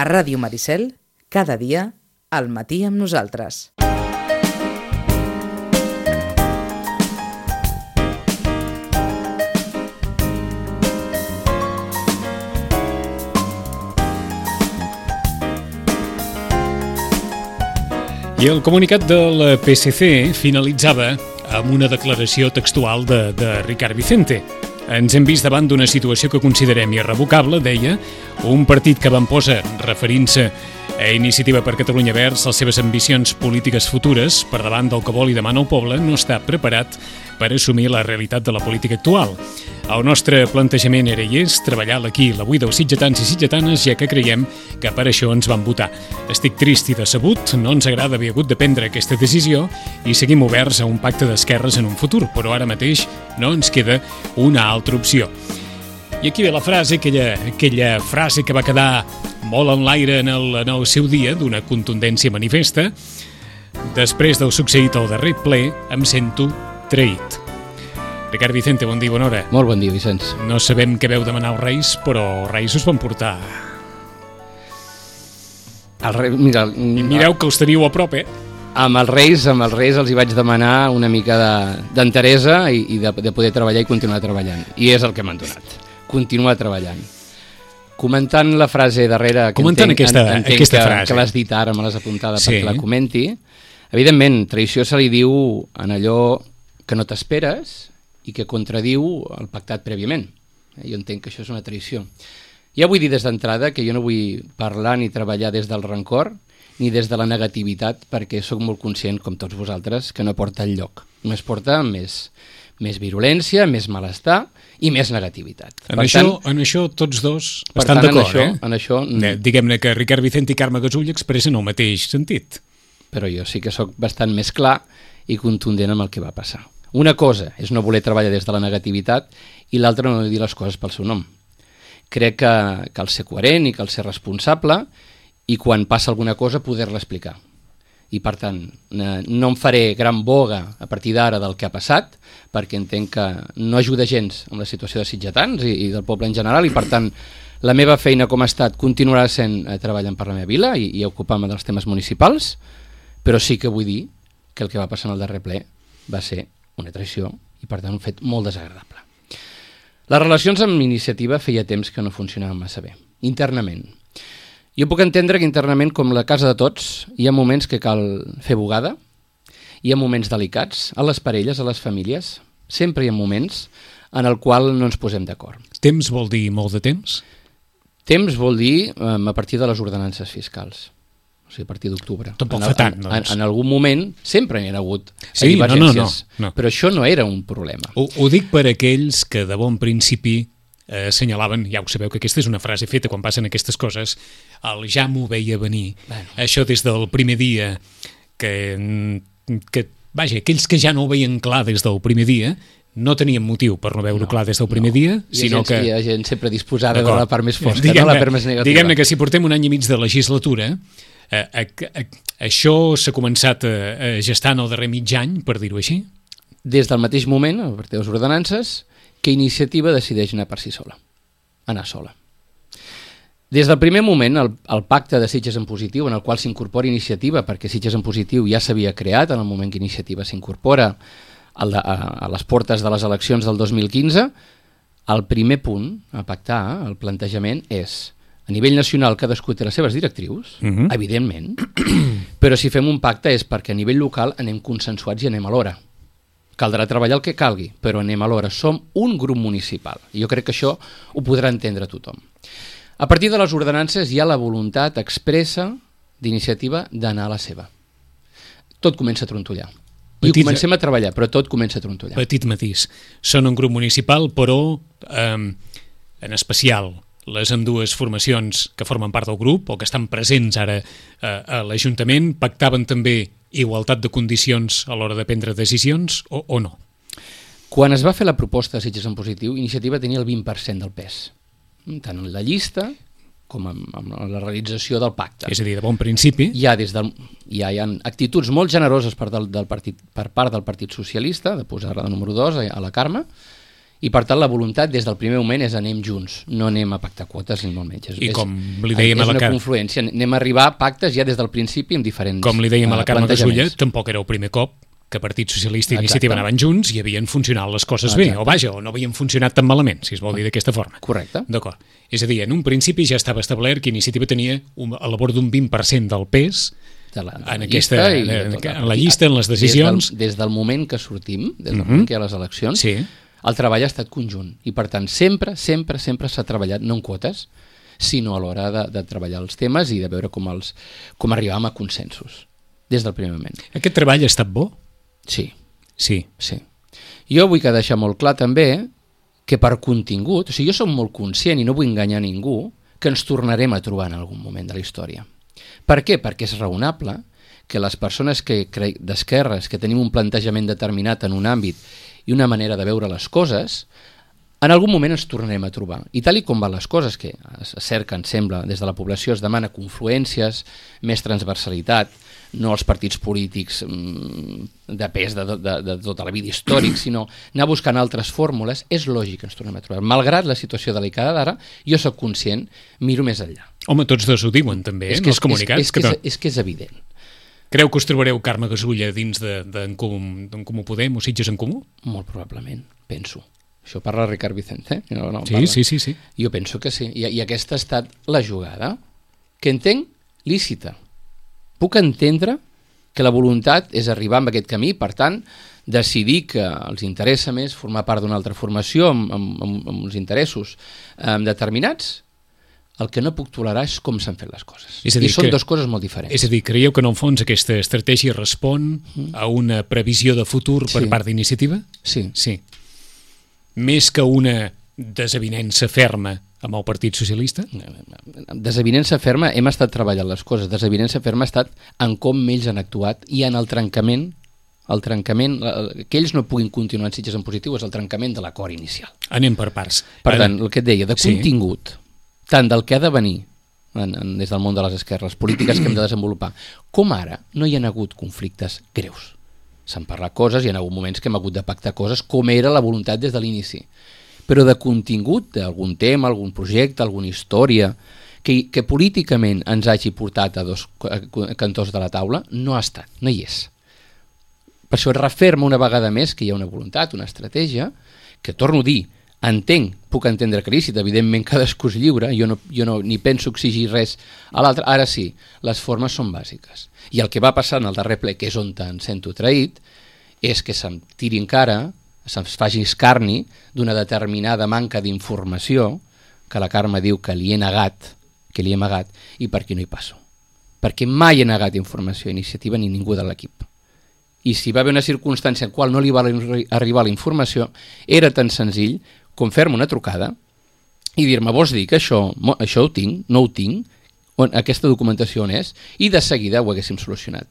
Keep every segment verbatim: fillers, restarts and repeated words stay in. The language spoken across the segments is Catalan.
A Ràdio Maricel, cada dia, al matí amb nosaltres. I el comunicat del P S C finalitzava amb una declaració textual de, de Ricard Vicente. Ens hem vist davant d'una situació que considerem irrevocable, deia, un partit que avantposa, referint-se a Iniciativa per Catalunya Verds, les seves ambicions polítiques futures per davant del que vol i demana el poble, no està preparat per assumir la realitat de la política actual. El nostre plantejament era i és treballar l'aquí i l'avui dels sitgetans i sitgetanes, ja que creiem que per això ens van votar. Estic trist i decebut, no ens agrada haver hagut de prendre aquesta decisió i seguim oberts a un pacte d'esquerres en un futur, però ara mateix no ens queda una altra opció. I aquí ve la frase, aquella, aquella frase que va quedar molt en l'aire en el, en el seu dia, d'una contundència manifesta. Després del succeït al darrer ple, em sento traït. Ricard Vicente, bon dia, bona hora. Molt bon dia, Vicenç. No sabem què veu demanar els Reis, però els Reis us van portar. El rei, mira, I mireu que els teniu a prop, eh? Amb els Reis, amb els Reis els hi vaig demanar una mica d'enteresa i, i de, de poder treballar i continuar treballant. I és el que m'han donat. Continuar treballant. Comentant la frase darrere, que Comentant entenc, aquesta, entenc aquesta que, frase. que l'has dit ara, me l'has apuntada Sí. perquè la comenti, evidentment, traïció se li diu en allò que no t'esperes i que contradiu el pactat prèviament. Jo entenc que això és una traïció. Ja vull dir des d'entrada que jo no vull parlar ni treballar des del rancor ni des de la negativitat, perquè sóc molt conscient, com tots vosaltres, que no porta enlloc. Només porta més, més virulència, més malestar i més negativitat. En, Per això, tant, en això tots dos per estan tant, en d'acord, això, eh? en això, Eh, Diguem-ne que Ricard Vicente i Carme Gasull expressen el mateix sentit. però jo sí que sóc bastant més clar i contundent amb el que va passar. Una cosa és no voler treballar des de la negativitat i l'altra no dir les coses pel seu nom. Crec que cal ser coherent i cal ser responsable i quan passa alguna cosa poder-la explicar. I per tant, no em faré gran boga a partir d'ara del que ha passat, perquè entenc que no ajuda gens amb la situació de sitgetans i, i del poble en general, i per tant la meva feina com ha estat continuarà sent eh, treballant per la meva vila i, i ocupant-me dels temes municipals, però sí que vull dir que el que va passar en el darrer ple va ser una traïció i per tant un fet molt desagradable. Les relacions amb Iniciativa feia temps que no funcionaven massa bé, internament. Jo puc entendre que internament, com la casa de tots, hi ha moments que cal fer bugada, hi ha moments delicats, a les parelles, a les famílies, sempre hi ha moments en el qual no ens posem d'acord. Temps vol dir molt de temps? Temps vol dir eh, a partir de les ordenances fiscals, o sigui, a partir d'octubre. Tampoc en, fa tant, en, doncs. En, en algun moment sempre n'hi ha hagut Sí, divergències, no, no, no, no. però això no era un problema. Ho, ho dic per aquells que de bon principi eh, assenyalaven, ja ho sabeu que aquesta és una frase feta quan passen aquestes coses, el ja m'ho veia venir. Bueno. Això des del primer dia, que, que, vaja, aquells que ja no ho veien clar des del primer dia, no tenien motiu per no veure-ho No, clar des del primer no. dia, Hi ha sinó gent, que... Hi ha gent sempre disposada de D'acord. la part més fosca, no Diguem-ne- la part més negativa. Diguem-ne que si portem un any i mig de legislatura, eh, eh, eh, això s'ha començat a, a gestar en el darrer mig any, per dir-ho així? Des del mateix moment, a partir de les ordenances, que Iniciativa decideix anar per si sola, anar sola. Des del primer moment, el, el pacte de Sitges en positiu, en el qual s'incorpora Iniciativa, perquè Sitges en positiu ja s'havia creat en el moment que Iniciativa s'incorpora a, la, a, a les portes de les eleccions del dos mil quinze, el primer punt a pactar, el plantejament, és a nivell nacional cadascú té les seves directrius, Mhm. evidentment, però si fem un pacte és perquè a nivell local anem consensuats i anem a l'hora. Caldrà treballar el que calgui, però anem a l'hora. Som un grup municipal. I jo crec que això ho podrà entendre tothom. A partir de les ordenances hi ha la voluntat expressa d'Iniciativa d'anar a la seva. Tot comença a trontollar. I Petit- ho comencem a treballar, però tot comença a trontollar. Petit matís. Són un grup municipal, però eh, en especial les ambdues formacions que formen part del grup o que estan presents ara eh, a l'Ajuntament pactaven també igualtat de condicions a l'hora de prendre decisions o, o no? Quan es va fer la proposta de Sitges en positiu, Iniciativa tenia el vint per cent del pes, tant en la llista com amb, amb la realització del pacte. És a dir, de bon principi. Hi ha, des del, hi ha, hi ha actituds molt generoses per, del, del partit, per part del Partit Socialista, de posar-la de número dos a, a la Carme, I per tant la voluntat des del primer moment és anem junts, no anem a pactar quotes ni molt menys. És, I com li dèiem és a la una Car... confluència, anem a arribar a pactes ja des del principi amb diferents Com li dèiem a la Carme Gasulla, plantejaments. tampoc era el primer cop que Partit Socialista i Exacte. Iniciativa anaven junts i havien funcionat les coses bé, Exacte. o vaja, o no havien funcionat tan malament, si es vol dir d'aquesta forma. Correcte. D'acord. És a dir, en un principi ja estava establert que Iniciativa tenia un, a l'abord d'un vint per cent del pes De la, de en, la aquesta, llista i en, de tot. en la llista, en les decisions. Des del, des del moment que sortim, des del Mhm. moment que hi ha les eleccions, Sí. el treball ha estat conjunt. I per tant, sempre, sempre, sempre s'ha treballat, no en quotes, sinó a l'hora de, de treballar els temes i de veure com, els, com arribàvem a consensos, des del primer moment. Aquest treball ha estat bo? Sí, Sí. sí. Jo vull que deixar molt clar també que per contingut, o sigui, jo som molt conscient i no vull enganyar ningú, que ens tornarem a trobar en algun moment de la història. Per què? Perquè és raonable que les persones que cre... d'esquerres, que tenim un plantejament determinat en un àmbit i una manera de veure les coses, en algun moment ens tornarem a trobar. I tal i com van les coses, que es cerca, em sembla, des de la població es demana confluències, més transversalitat, no els partits polítics mmm, de pes de, de, de tota la vida històric, sinó anar buscant altres fórmules, és lògic que ens tornem a trobar. Malgrat la situació delicada d'ara, jo sóc conscient, miro més enllà. Home, tots dos ho diuen també, eh, És en que, els comunicats. és, és, que que és, no. és que és evident. Creu que us trobareu Carme Gasulla dins d'en de, de Comú, Comú Podem o Sitges en Comú? Molt probablement, penso. Això parla Ricard Vicente, eh? No, no, Sí, parla. sí, sí, sí. Jo penso que sí, I, i aquesta ha estat la jugada, que entenc lícita. Puc entendre que la voluntat és arribar amb aquest camí, per tant, decidir que els interessa més formar part d'una altra formació amb, amb, amb, amb uns interessos eh, determinats. El que no puc tolerar és com s'han fet les coses. És a dir, I són que- dues coses molt diferents. És a dir, creieu que en el fons aquesta estratègia respon a una previsió de futur per Sí. part d'Iniciativa? Sí, Sí. Més que una desavinença ferma amb el Partit Socialista? desavinença ferma, hem estat treballant les coses. Desavinença ferma ha estat en com ells han actuat i en el trencament, el trencament, la- que ells no puguin continuar en Sitges en positiu és el trencament de l'acord inicial. Anem per parts. Per Ara, tant, el que et deia, de Sí. contingut, tant del que ha de venir en, en, des del món de les esquerres, polítiques que hem de desenvolupar, com ara no hi ha hagut conflictes greus. S'han parlat coses, hi ha hagut moments que hem hagut de pactar coses com era la voluntat des de l'inici. Però de contingut, d'algun tema, algun projecte, alguna història, que, que políticament ens hagi portat a dos cantors de la taula, no ha estat, no hi és. Per això es referma una vegada més que hi ha una voluntat, una estratègia, que torno a dir, entenc, puc entendre que lícit, evidentment cadascú és lliure, jo no, jo no ni penso exigir res a l'altre, ara sí, les formes són bàsiques. I el que va passar en el darrer ple, que és on em sento traït, és que se'm tiri encara, se'ns faci escarni d'una determinada manca d'informació que la Carme diu que li he negat, que li he amagat, i per aquí no hi passo. Perquè mai he negat informació a Iniciativa ni ningú de l'equip. I si va haver una circumstància en qual no li va arri- arribar la informació, era tan senzill com fer-me una trucada i dir-me, vols dir que això, mo- això ho tinc, no ho tinc, on, aquesta documentació on és, i de seguida ho haguéssim solucionat.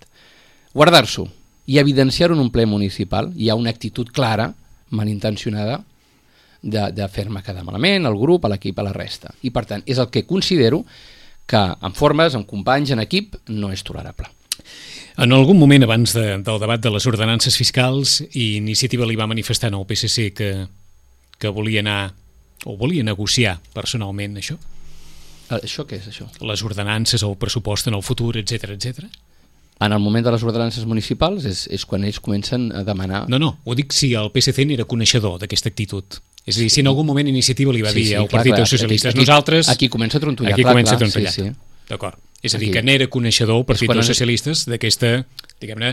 Guardar-s'ho i evidenciar-ho en un ple municipal, hi ha una actitud clara, malintencionada, de, de fer-me quedar malament, al grup, a l'equip, a la resta. I per tant, és el que considero que en formes, en companys, en equip, no és tolerable. En algun moment abans de, del debat de les ordenances fiscals, Iniciativa li va manifestar al P S C que, que volia anar o volia negociar personalment això? Eh, Això què és, això? Les ordenances, el pressupost en el futur, etc etc. En el moment de les ordenances municipals és, és quan ells comencen a demanar... No, no, ho dic si el P S C n'era coneixedor d'aquesta actitud. És a dir, si en algun moment Iniciativa li va dir al clar, Partit clar, dels Socialistes, aquí, aquí, nosaltres... Aquí comença a trontollar, Aquí clar, comença clar, a trontollar. sí, sí. D'acord. És a Aquí. dir, que n'era coneixedor el Partit quan dels en- Socialistes d'aquesta, diguem-ne,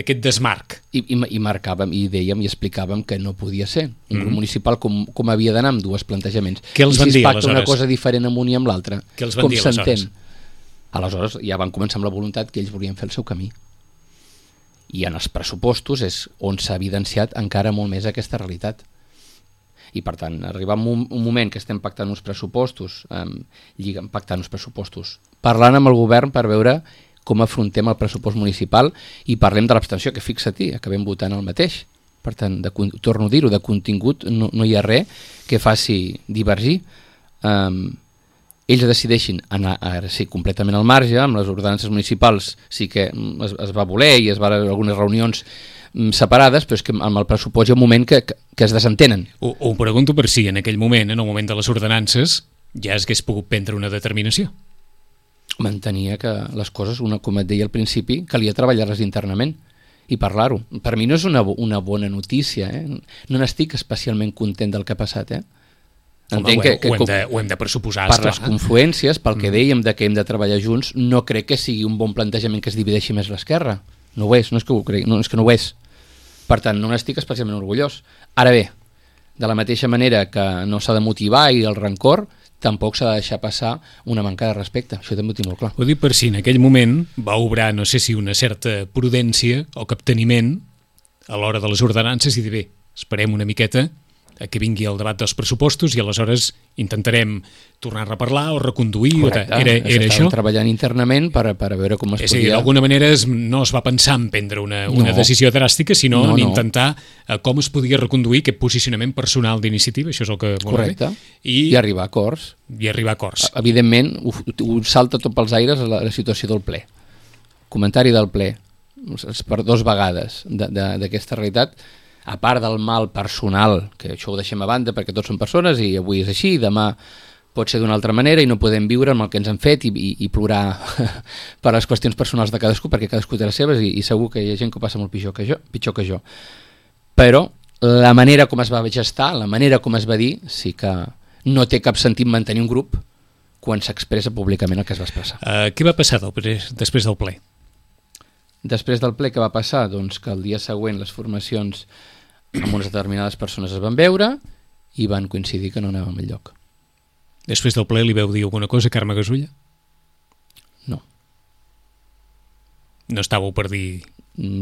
d'aquest desmarc. I, i, i marcàvem, i dèiem i explicàvem que no podia ser. Un Mhm. grup municipal com, com havia d'anar amb dues plantejaments. Què els I van si dir, es pacta una aleshores? cosa diferent amb un i amb l'altre, Què els van com dir, s'entén? aleshores? Aleshores ja van començar amb la voluntat que ells volien fer el seu camí. I en els pressupostos és on s'ha evidenciat encara molt més aquesta realitat. I per tant, arribar a un, un moment que estem pactant uns pressupostos, eh, lligant, pactant uns pressupostos, parlant amb el govern per veure com afrontem el pressupost municipal i parlem de l'abstenció, que fixa-t'hi, acabem votant el mateix. Per tant, de, torno a dir-ho, de contingut no, no hi ha res que faci divergir. Um, ells decideixin anar ara sí, completament al marge, amb les ordenances municipals sí que es, es va voler i es van algunes reunions separades, però és que amb el pressupost hi ha un moment que, que, que es desentenen. Ho, ho pregunto per si en aquell moment, en el moment de les ordenances, ja es hagués pogut prendre una determinació. Mantenia que les coses, una, com et deia al principi, calia treballar-les internament i parlar-ho. Per mi no és una, una bona notícia, eh? No n'estic especialment content del que ha passat, eh? Home, ho, que, que, ho, hem de, ho hem de pressuposar, per esclar. Les confluències, pel que dèiem de que hem de treballar junts, no crec que sigui un bon plantejament que es divideixi més l'esquerra. No ho és, no és que ho cregui, no, és que no ho és. Per tant, no n'estic especialment orgullós. Ara bé, de la mateixa manera que no s'ha de motivar i el rancor, tampoc s'ha de deixar passar una manca de respecte. Això també ho tinc molt clar. Ho dic per si en aquell moment va obrar, no sé si una certa prudència o capteniment a l'hora de les ordenances i dir, bé, esperem una miqueta a que vingui el debat dels pressupostos i aleshores intentarem tornar a reparlar o reconduir. Correcte, era, era això? Treballant internament per, per a veure com es és podia... dir, d'alguna manera es, no es va pensar en prendre una, una no. decisió dràstica, sinó no, en intentar no. com es podia reconduir aquest posicionament personal d'iniciativa, això és el que volem. Correcte, I, i arribar a acords. I arribar a acords. Evidentment, ho, ho salta tot pels aires la, la situació del ple. Comentari del ple, per dues vegades d'aquesta realitat, a part del mal personal, que això ho deixem a banda perquè tots són persones i avui és així, demà pot ser d'una altra manera i no podem viure amb el que ens han fet i, i, i plorar per les qüestions personals de cadascú, perquè cadascú té les seves i, i segur que hi ha gent que ho passa molt pitjor que jo, pitjor que jo. Però la manera com es va gestar, la manera com es va dir, sí que no té cap sentit mantenir un grup quan s'expressa públicament el que es va expressar. Uh, què va passar del, després del ple? Després del ple, què va passar? Doncs que el dia següent les formacions amb unes determinades persones es van veure i van coincidir que no anàvem al lloc. Després del ple li veu dir alguna cosa a Carme Gasulla? No. No estàveu per dir...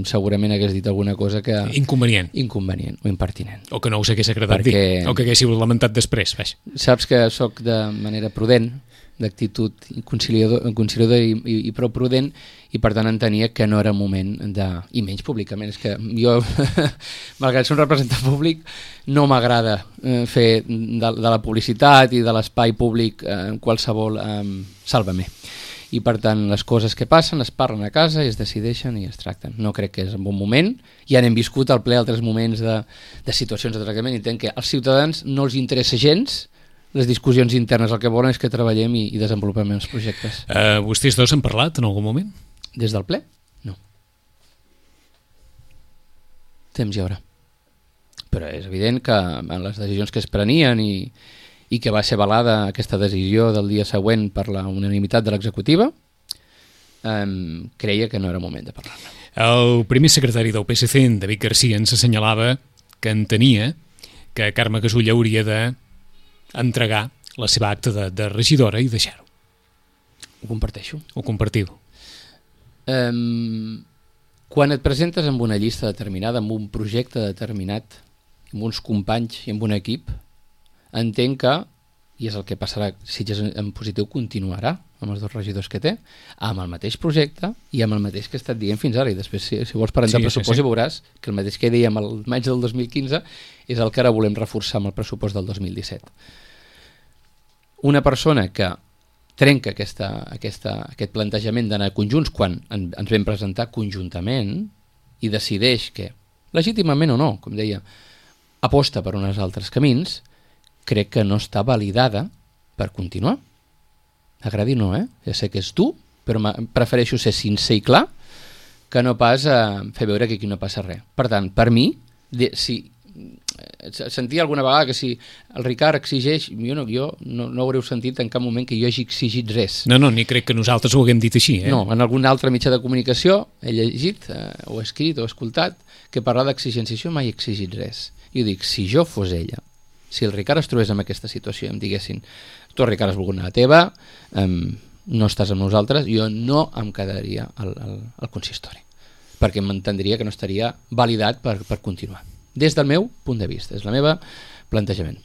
Segurament hagués dit alguna cosa que... Inconvenient. Inconvenient o impertinent. O que no us hagués agradat Perquè... dir, o que haguéssiu lamentat després. Vaig. Saps que sóc de manera prudent, d'actitud conciliador, conciliador i, i, i prou prudent, i per tant entenia que no era moment de... i menys públicament, és que jo malgrat ser un representant públic no m'agrada eh, fer de, de la publicitat i de l'espai públic eh, qualsevol eh, sàlvame, i per tant les coses que passen es parlen a casa i es decideixen i es tracten. No crec que és un bon moment, ja n'hem viscut al ple altres moments de, de situacions de tractament i entenc que als ciutadans no els interessa gens les discussions internes, el que volen és que treballem i, i desenvolupem els projectes. Uh, vostès dos han parlat en algun moment? Des del ple? No. Temps hi haurà. Però és evident que en les decisions que es prenien i, i que va ser avalada aquesta decisió del dia següent per la unanimitat de l'executiva, um, creia que no era moment de parlar-ne. El primer secretari del P S C, David Garcia, ens assenyalava que entenia que Carme Gasulla hauria de entregar la seva acta de, de regidora i deixar-ho. Ho comparteixo. Ho compartiu. Um, quan et presentes amb una llista determinada, amb un projecte determinat, amb uns companys i amb un equip, entenc que, i és el que passarà si ja en positiu continuarà amb els dos regidors que té, amb el mateix projecte i amb el mateix que he estat dient fins ara, i després si, si vols parlar de sí, pressupost sí, sí. veuràs que el mateix que dèiem el maig del dos mil quinze és el que ara volem reforçar amb el pressupost del dos mil disset. Una persona que trenca aquesta, aquesta, aquest plantejament d'anar conjunts quan en, ens vam presentar conjuntament i decideix que, legítimament o no, com deia, aposta per uns altres camins, crec que no està validada per continuar. Agradi o no, eh? Ja sé que és tu, però prefereixo ser sincer i clar que no pas a fer veure que aquí no passa res. Per tant, per mi, de, si sentia alguna vegada que si el Ricard exigeix, jo no, jo no, no haureu sentit en cap moment que jo hagi exigit res. No, no, ni crec que nosaltres ho haguem dit així. Eh? No, en algun altre mitjà de comunicació he llegit, eh, o escrit, o escoltat, que parlar d'exigència, jo mai he exigit res. I ho dic, si jo fos ella, si el Ricard es trobés en aquesta situació i em diguessin, tu Ricard has volgut anar a la teva, um, no estàs amb nosaltres, jo no em quedaria al, al, al consistori, perquè m'entendria que no estaria validat per, per continuar. Des del meu punt de vista, és la meva plantejament.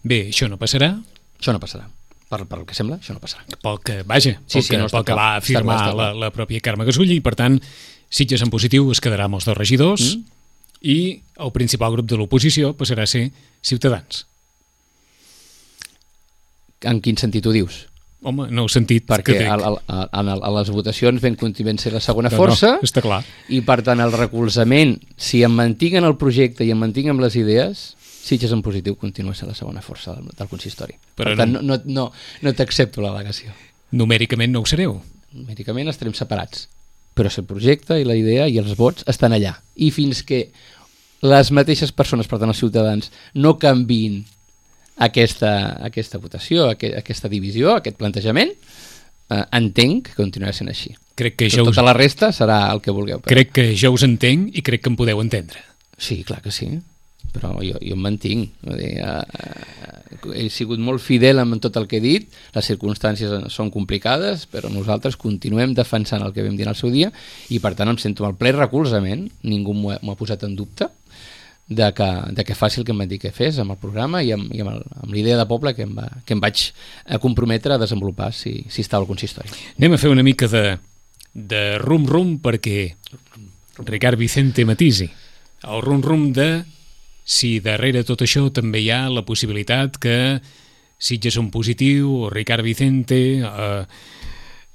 Bé, això no passarà? Això no passarà. Per, per el que sembla, això no passarà. Pel que, vaja, sí, pel sí, que, no pel que va afirmar està clar, està clar. La, la pròpia Carme Gasulla, i per tant, Sitges en positiu es quedarà amb els dos regidors mm. i el principal grup de l'oposició passarà a ser Ciutadans. En quin sentit ho dius? Home, no heu sentit perquè que a, a, a, a, a les votacions ben continuem ser la segona no, força, no, està clar. I per tant el recolzament, si em mantinc en el projecte i em mantinc amb les idees, Sitges en positiu continua sent la segona força del, del consistori. Però per tant, no, no, no, no t'accepto l'al·legació. Numèricament no ho sereu? Numèricament estarem separats, però el projecte i la idea i els vots estan allà. I fins que les mateixes persones, per tant els ciutadans, no canviïn aquesta, aquesta votació, aquest, aquesta divisió, aquest plantejament, eh, entenc que continuarà sent així. Crec que Tot, us... Tota la resta serà el que vulgueu. Però... Crec que jo us entenc i crec que em podeu entendre. Sí, clar que sí, però jo, jo em mantinc. Dir, eh, he sigut molt fidel amb tot el que he dit, les circumstàncies són complicades, però nosaltres continuem defensant el que vam dir en el seu dia i per tant em sento el ple recolzament, ningú m'ho ha, m'ho ha posat en dubte, de que, de que faci el que em van dir que fes amb el programa i amb, i amb, el, amb l'idea de poble que em, va, que em vaig comprometre a desenvolupar si, si estava al consistori. Anem a fer una mica de, de rum-rum perquè Ricard Vicente matisi. El rum-rum de si darrere tot això també hi ha la possibilitat que Sitges en positiu o Ricard Vicente eh,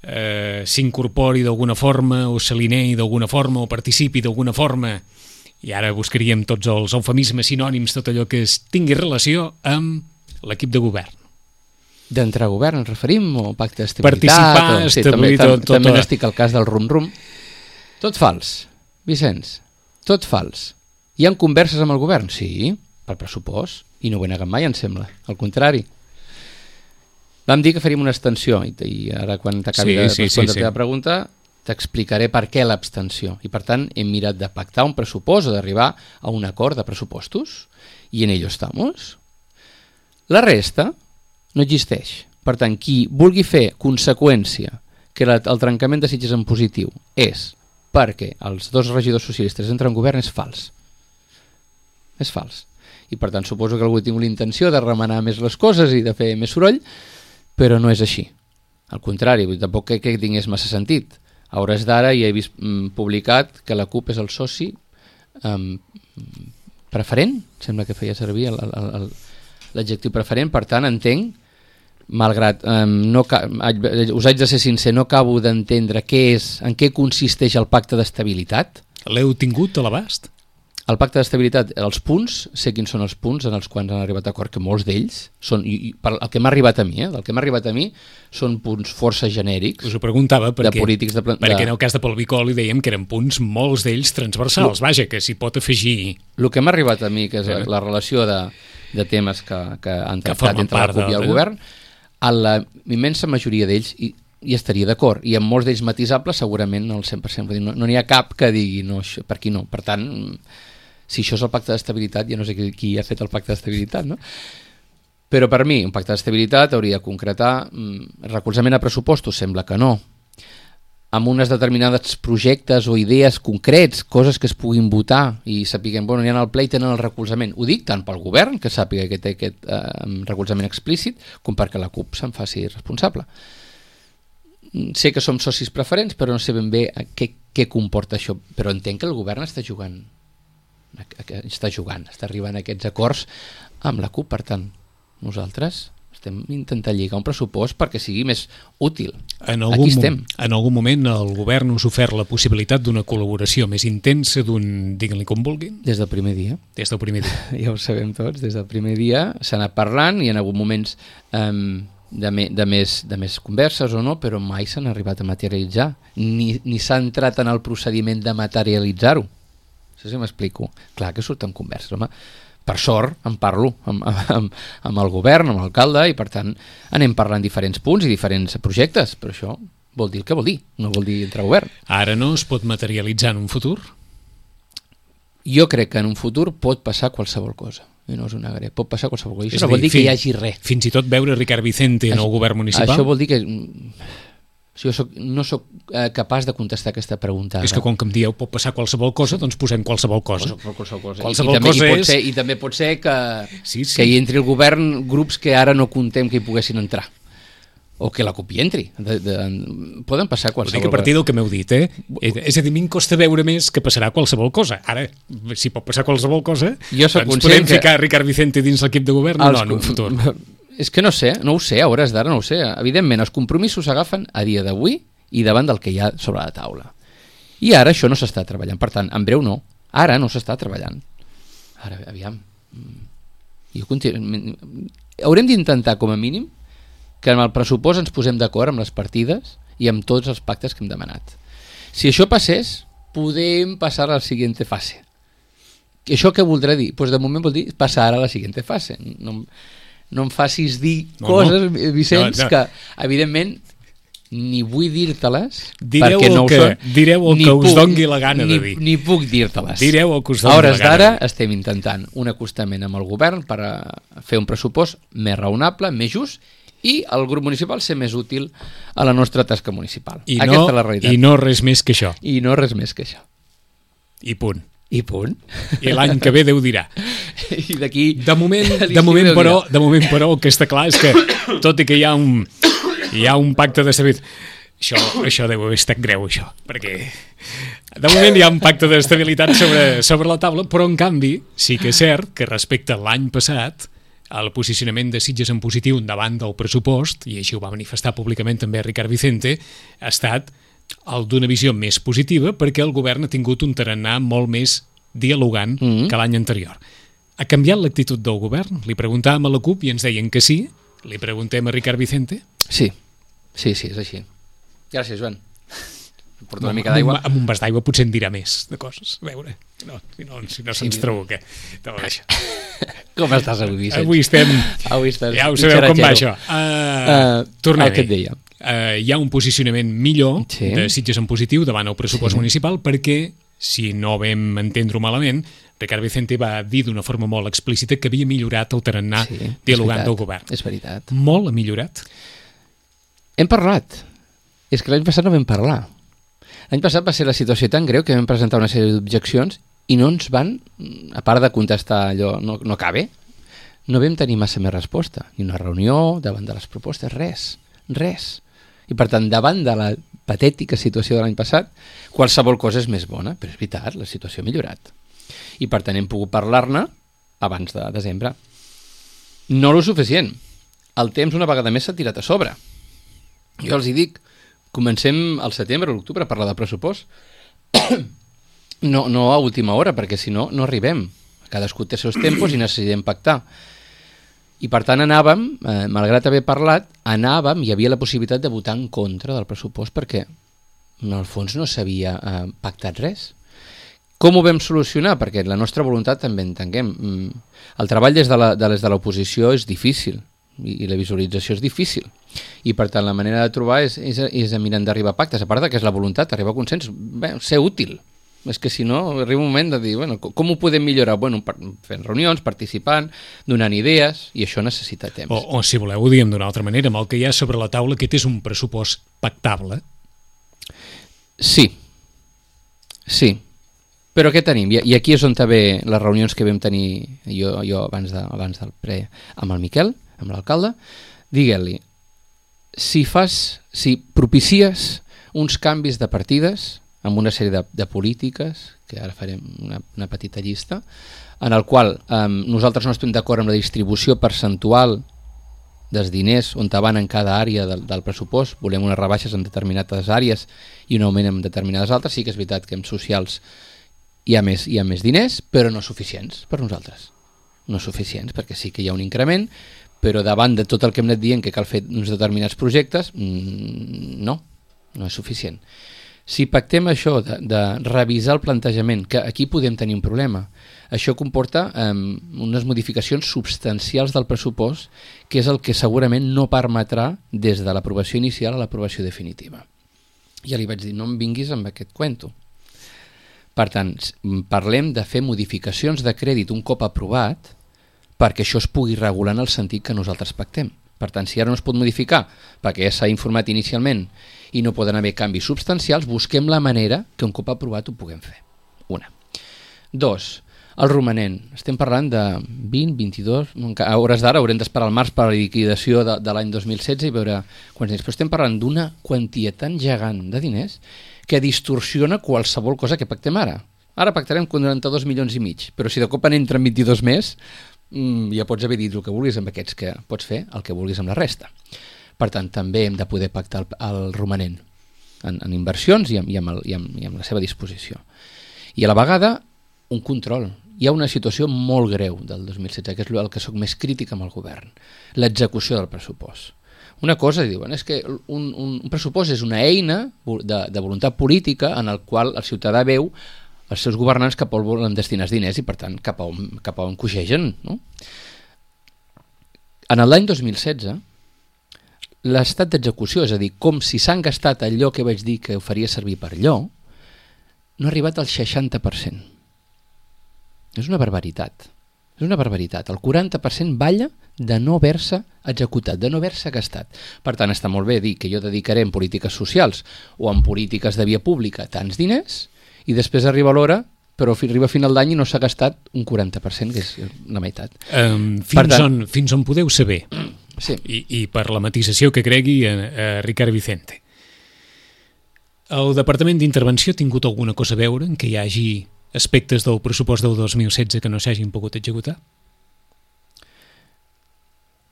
eh, s'incorpori d'alguna forma o s'alinei d'alguna forma o participi d'alguna forma. I ara buscaríem tots els eufemismes sinònims, tot allò que es tingui relació amb l'equip de govern. D'entrar a govern ens referim o pacte d'estabilitat? Participar, o... sí, establir també, tot... tot també tot... n'estic al cas del rum-rum. Tot fals, Vicenç, tot fals. Hi ha converses amb el govern? Sí, per pressupost, i no ho he negat mai, em sembla, al contrari. Vam dir que faríem una extensió, i, i ara quan t'acabi sí, de sí, respondre sí, sí. la teva pregunta t'explicaré per què l'abstenció. I per tant hem mirat de pactar un pressupost o d'arribar a un acord de pressupostos i en ello estamos. La resta no existeix. Per tant, qui vulgui fer conseqüència que la, el trencament de Sitges en positiu és perquè els dos regidors socialistes entren en govern és fals. És fals. I per tant suposo que algú tingui la intenció de remenar més les coses i de fer més soroll, però no és així. Al contrari, tampoc que, que tingués massa sentit. A hores d'ara ja he vist mm, publicat que la CUP és el soci um, preferent, sembla que feia servir l'adjectiu preferent, per tant entenc, malgrat um, no ca us haig de ser sincer, no acabo d'entendre què és, en què consisteix el pacte d'estabilitat. L'heu tingut a l'abast? El pacte d'estabilitat, els punts, sé quins són els punts en els quals han arribat a acord, que molts d'ells són, i, i, per, el que m'ha arribat a mi, eh, el que m'ha arribat a mi són punts força genèrics. Us ho preguntava perquè, de polítics de, perquè de... en el cas de Pol Bicol li dèiem que eren punts, molts d'ells transversals, vaja, que s'hi pot afegir... El que m'ha arribat a mi, que és la, la relació de, de temes que, que han tractat entre la CUP i el de... govern, a la immensa majoria d'ells hi, hi estaria d'acord, i en molts d'ells matisables segurament el cent per cent, no n'hi no ha cap que digui no, això, per aquí no, per tant... Si això és el pacte d'estabilitat, ja no sé qui, qui ha fet el pacte d'estabilitat, no? Però per mi, un pacte d'estabilitat hauria de concretar mm, recolzament a pressupostos, sembla que no. Amb unes determinades projectes o idees concrets, coses que es puguin votar i sapiguem, bueno, n'hi ha al ple i tenen el recolzament. Ho dic tant pel govern, que sàpiga que té aquest eh, recolzament explícit, com perquè la CUP se'n faci responsable. Sé que som socis preferents, però no sé ben bé què, què comporta això. Però entenc que el govern està jugant està jugant, està arribant a aquests acords amb la CUP, per tant nosaltres estem intentant lligar un pressupost perquè sigui més útil. En algun, Aquí estem. En algun moment el govern us ha ofert la possibilitat d'una col·laboració més intensa, d'un, diguin-li com vulguin? Des del primer dia. Des del primer dia. Ja ho sabem tots, des del primer dia s'ha anat parlant i en alguns moments um, de, me, de, més, de més converses o no, però mai s'han arribat a materialitzar, ni, ni s'ha entrat en el procediment de materialitzar-ho. No sé si m'explico. Clar que surten converses, home. Per sort, en parlo amb, amb, amb el govern, amb l'alcalde, i per tant anem parlant diferents punts i diferents projectes, però això vol dir el que vol dir, no vol dir entrar a govern. Ara no es pot materialitzar en un futur? Jo crec que en un futur pot passar qualsevol cosa. I no us ho negaré, pot passar qualsevol cosa. Això no dir, vol dir fin, que hi hagi res. Fins i tot veure Ricard Vicente en el govern municipal? Això vol dir que... Jo soc, no sóc eh, capaç de contestar aquesta pregunta. És que com que em dieu pot passar qualsevol cosa, doncs posem qualsevol cosa. Qualsevol cosa. Qualsevol I, i, també, cosa i, pot és... ser, I també pot ser que, sí, sí. que hi entri el govern grups que ara no contem que hi poguessin entrar. O que la CUP hi entri. De, de, poden passar qualsevol cosa. Ho dic a partir del que m'heu dit, eh? És a dir, a mi em costa veure més que passarà qualsevol cosa. Ara, si pot passar qualsevol cosa, jo soc doncs podem que... ficar Ricard Vicente dins l'equip de govern o no en un futur? és que no sé, no ho sé, a hores d'ara no ho sé. Evidentment, els compromisos s'agafen a dia d'avui i davant del que hi ha sobre la taula. I ara això no s'està treballant. Per tant, en breu no. Ara no s'està treballant. Ara, aviam. Jo continu... Haurem d'intentar, com a mínim, que en el pressupost ens posem d'acord amb les partides i amb tots els pactes que hem demanat. Si això passés, podem passar a la següent fase. I això què voldrà dir? Pues de moment vol dir passar a la següent fase. No, no em facis dir no, coses, no. Vicenç, no, no. que evidentment ni vull dir-te-les direu perquè no ho que, són. Direu el que puc, us dongui la gana ni, de dir. Ni puc dir-te-les. Direu el que us dongui a hores la gana. d'ara estem intentant un acostament amb el govern per a fer un pressupost més raonable, més just, i el grup municipal ser més útil a la nostra tasca municipal. I Aquesta no, és la realitat. I no res més que això. I no res més que això. I punt. I punt. I l'any que ve Déu dirà. I d'aquí... De moment, de moment, però, de moment, però, el que està clar és que, tot i que hi ha un, hi ha un pacte de saber... Això, això deu haver estat greu, això, perquè de moment hi ha un pacte d'estabilitat sobre, sobre la taula, però en canvi sí que és cert que respecte a l'any passat el posicionament de Sitges en positiu davant del pressupost, i així ho va manifestar públicament també Ricard Vicente, ha estat el d'una visió més positiva perquè el govern ha tingut un tarannà molt més dialogant mm-hmm. que l'any anterior. Ha canviat l'actitud del govern? Li preguntàvem a la CUP i ens deien que sí. Li preguntem a Ricard Vicente? Sí, sí, sí, és així. Gràcies, Joan. Porto una mica d'aigua. Amb un vas d'aigua potser en dirà més de coses. A veure, no, si no, si no se'ns sí, trobo què. Com estàs avui, Vicenç? Avui estem... Avui estàs... Ja ho sabeu com va això. Uh, uh, Tornem-hi. El que et deia. Uh, hi ha un posicionament millor sí. de Sitges en positiu davant el pressupost sí. municipal perquè, si no vam entendre-ho malament, Ricard Vicente va dir d'una forma molt explícita que havia millorat el tarannà sí, dialogant del govern. És veritat. Molt ha millorat? Hem parlat. És que l'any passat no vam parlar. L'any passat va ser la situació tan greu que vam presentar una sèrie d'objeccions i no ens van, a part de contestar allò, no, no cabe, no vam tenir massa més resposta. Ni una reunió, davant de les propostes, res, res. I per tant, davant de la patètica situació de l'any passat, qualsevol cosa és més bona, però és veritat, la situació ha millorat. I per tant hem pogut parlar-ne abans de desembre. No lo suficient. El temps una vegada més s'ha tirat a sobre. Jo els hi dic, comencem al setembre o l'octubre a parlar de pressupost. No, no a última hora, perquè si no, no arribem. Cadascú té els seus tempos i necessitem pactar. I per tant anàvem, eh, malgrat haver parlat, anàvem, hi havia la possibilitat de votar en contra del pressupost perquè en el fons no s'havia eh, pactat res. Com ho vam solucionar? Perquè la nostra voluntat també entenguem. El treball des de la, de des de l'oposició és difícil i la visualització és difícil. I per tant la manera de trobar és, és, és mirant d'arribar a pactes, a part que és la voluntat, arribar a consens, bé, ser útil. És que si no, arriba un moment de dir, bueno, com ho podem millorar? Bueno, fent reunions, participant, donant idees, i això necessita temps. O, o si voleu, ho diem d'una altra manera, amb el que hi ha sobre la taula, aquest és un pressupost pactable? Sí. Sí. Però què tenim? I aquí és on també les reunions que vam tenir jo, jo abans, de, abans del pre amb el Miquel, amb l'alcalde, digueu-li, si fas, si propicies uns canvis de partides amb una sèrie de, de polítiques, que ara farem una, una petita llista, en el qual eh, nosaltres no estem d'acord amb la distribució percentual dels diners on van en cada àrea del, del pressupost, volem unes rebaixes en determinades àrees i un augment en determinades altres, sí que és veritat que en socials hi ha més, hi ha més diners, però no suficients per nosaltres. No suficients, perquè sí que hi ha un increment, però davant de tot el que hem anat dient que cal fer uns determinats projectes, no, no és suficient. Si pactem això de, de revisar el plantejament, que aquí podem tenir un problema, això comporta eh, unes modificacions substancials del pressupost, que és el que segurament no permetrà des de l'aprovació inicial a l'aprovació definitiva. Ja li vaig dir, no em vinguis amb aquest cuento. Per tant, parlem de fer modificacions de crèdit un cop aprovat perquè això es pugui regular en el sentit que nosaltres pactem. Per tant, si ara no es pot modificar perquè ja s'ha informat inicialment i no poden haver canvis substancials, busquem la manera que un cop aprovat ho puguem fer. Una. Dos, el romanent. Estem parlant de vint, vint-i-dos... A hores d'ara haurem d'esperar al març per a la liquidació de, de l'any dos mil setze i veure quants diners. Però estem parlant d'una quantia tan gegant de diners que distorsiona qualsevol cosa que pactem ara. Ara pactarem quaranta-dos milions i mig, però si de cop en entren vint-i-dos més, mm, ja pots haver dit el que vulguis amb aquests, que pots fer el que vulguis amb la resta. Per tant, també hem de poder pactar el, el romanent en, en inversions i amb, i, amb el, i, amb, i amb la seva disposició. I a la vegada, un control. Hi ha una situació molt greu del dos mil setze, que és el que soc més crític amb el govern, l'execució del pressupost. Una cosa, diuen, és que un, un, un pressupost és una eina de, de voluntat política en el qual el ciutadà veu els seus governants cap on volen destinar els diners i, per tant, cap a on, cap a on coixegen. No? En l'any dos mil setze, l'estat d'execució, és a dir, com si s'han gastat allò que vaig dir que ho faria servir per allò, no ha arribat al seixanta per cent. És una barbaritat. És una barbaritat. El quaranta per cent balla de no haver-se executat, de no haver-se gastat. Per tant, està molt bé dir que jo dedicaré en polítiques socials o en polítiques de via pública tants diners i després arriba l'hora, però arriba a final d'any i no s'ha gastat un quaranta per cent, que és la meitat. Um, fins, tant, on, fins on podeu saber, sí. I, i per la matisació que cregui a, a Ricard Vicente, el Departament d'Intervenció ha tingut alguna cosa a veure en que hi hagi aspectes del pressupost del dos mil setze que no s'hagin pogut executar?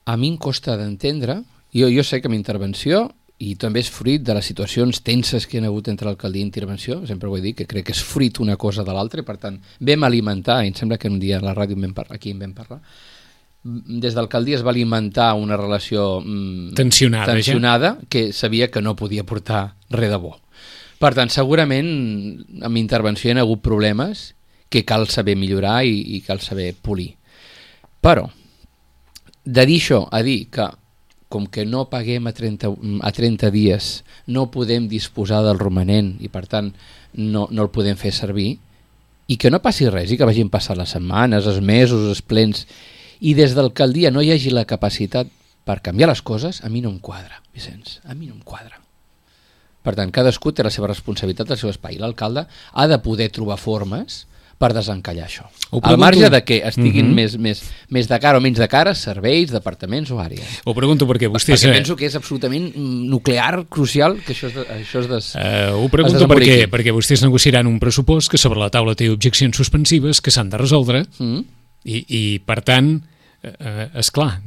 A mi em costa d'entendre. Jo, jo sé que amb intervenció, i també és fruit de les situacions tenses que hi ha hagut entre l'alcaldia i intervenció, sempre ho he dit, que crec que és fruit una cosa de l'altra, i per tant vam alimentar, i em sembla que un dia a la ràdio en vam parlar, aquí en vam parlar, des d'alcaldia es va alimentar una relació mm, tensionada, tensionada que sabia que no podia portar res de bo. Per tant, segurament amb intervenció hi ha hagut problemes que cal saber millorar i, i cal saber polir. Però, de dir això a dir que com que no paguem a trenta, a trenta dies no podem disposar del romanent i per tant no, no el podem fer servir, i que no passi res i que vagin passar les setmanes, els mesos, els plens, i des de l'alcaldia no hi hagi la capacitat per canviar les coses, a mi no em quadra, Vicenç, a mi no em quadra. Per tant, cadascú té la seva responsabilitat, el seu espai. L'alcalde ha de poder trobar formes per desencallar això. Al marge de que estiguin uh-huh. més, més, més de cara o menys de cara, serveis, departaments o àrees. Ho pregunto perquè vostès... Perquè penso que és absolutament nuclear, crucial, que això es, de, això es des... Uh, ho pregunto perquè, perquè vostès negociaran un pressupost que sobre la taula té objeccions suspensives que s'han de resoldre uh-huh. i, i, per tant... Uh, esclar,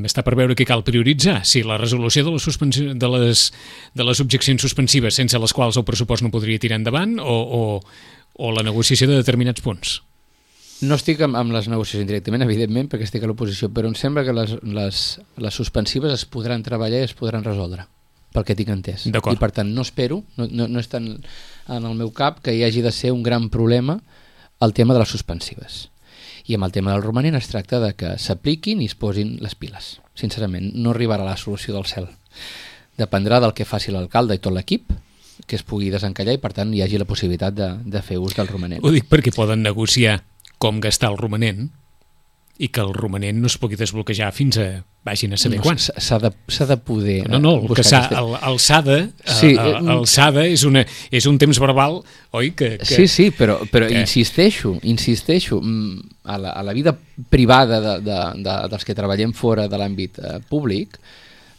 està per veure què cal prioritzar, si la resolució de les, suspensió, de, les, de les objeccions suspensives sense les quals el pressupost no podria tirar endavant o, o, o la negociació de determinats punts. No estic amb, amb les negociacions directament, evidentment, perquè estic a l'oposició, però em sembla que les, les, les suspensives es podran treballar i es podran resoldre, pel que tinc entès. I per tant no espero, no, no, no està en, en el meu cap que hi hagi de ser un gran problema el tema de les suspensives. I amb el tema del romanent es tracta de que s'apliquin i es posin les piles. Sincerament, no arribarà la solució del cel. Dependrà del que faci l'alcalde i tot l'equip, que es pugui desencallar i per tant hi hagi la possibilitat de, de fer ús del romanent. Ho dic perquè poden negociar com gastar el romanent i que el romanent no es pugui desbloquejar fins a vagin a saber no, quan. S'ha de, s'ha de poder... No, no, el, que s'ha, el, el s'ha de, sí, el, el s'ha de és, una, és un temps verbal, oi? Que, que, sí, sí, però, però que... insisteixo, insisteixo, a la, a la vida privada de, de, de, dels que treballem fora de l'àmbit eh, públic,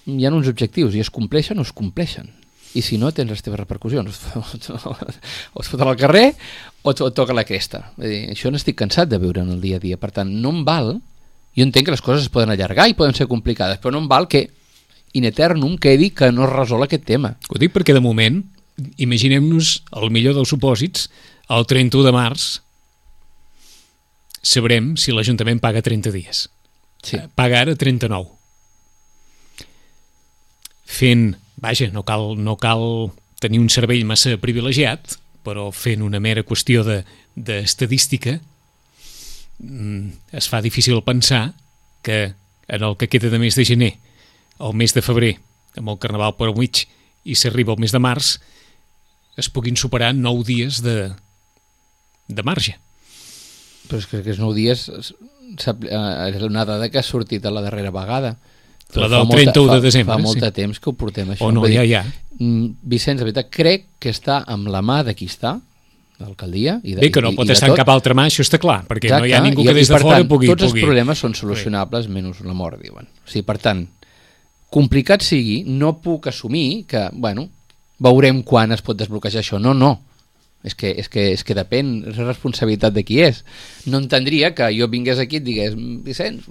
hi ha uns objectius i es compleixen o es compleixen. I si no, tens les teves repercussions. O es foten al carrer o et toca la cresta. És dir, això n'estic cansat de veure en el dia a dia. Per tant, no em val... Jo entenc que les coses es poden allargar i poden ser complicades, però no em val que in eternum quedi que no es resol aquest tema. Ho dic perquè de moment, imaginem-nos el millor dels supòsits, el trenta-u de març sabrem si l'Ajuntament paga trenta dies. Sí. Paga ara trenta-nou. Fent, vaja, no cal, no cal tenir un cervell massa privilegiat, però fent una mera qüestió de, d'estadística, es fa difícil pensar que en el que queda de mes de gener, el mes de febrer, amb el Carnaval per al mig, i s'arriba al mes de març, es puguin superar nou dies de, de marge. Però és que aquests nou dies és una dada que ha sortit a la darrera vegada. La del trenta-u de desembre. Fa molt de sí. temps que ho portem, això. O no, ja, ja. Vicenç, de veritat, crec que està amb la mà de qui està, l'alcaldia. I de, Bé, que no i, pot i estar en cap altra mà, això està clar, perquè Exacte, no hi ha ningú que des de fora tant, pugui... Tots els pugui... problemes són solucionables, menys la mort, diuen. O sigui, per tant, complicat sigui, no puc assumir que, bueno, veurem quan es pot desbloquejar això. No, no. És que, és, que, és que depèn, és responsabilitat de qui és. No entendria que jo vingués aquí i et digués Vicenç,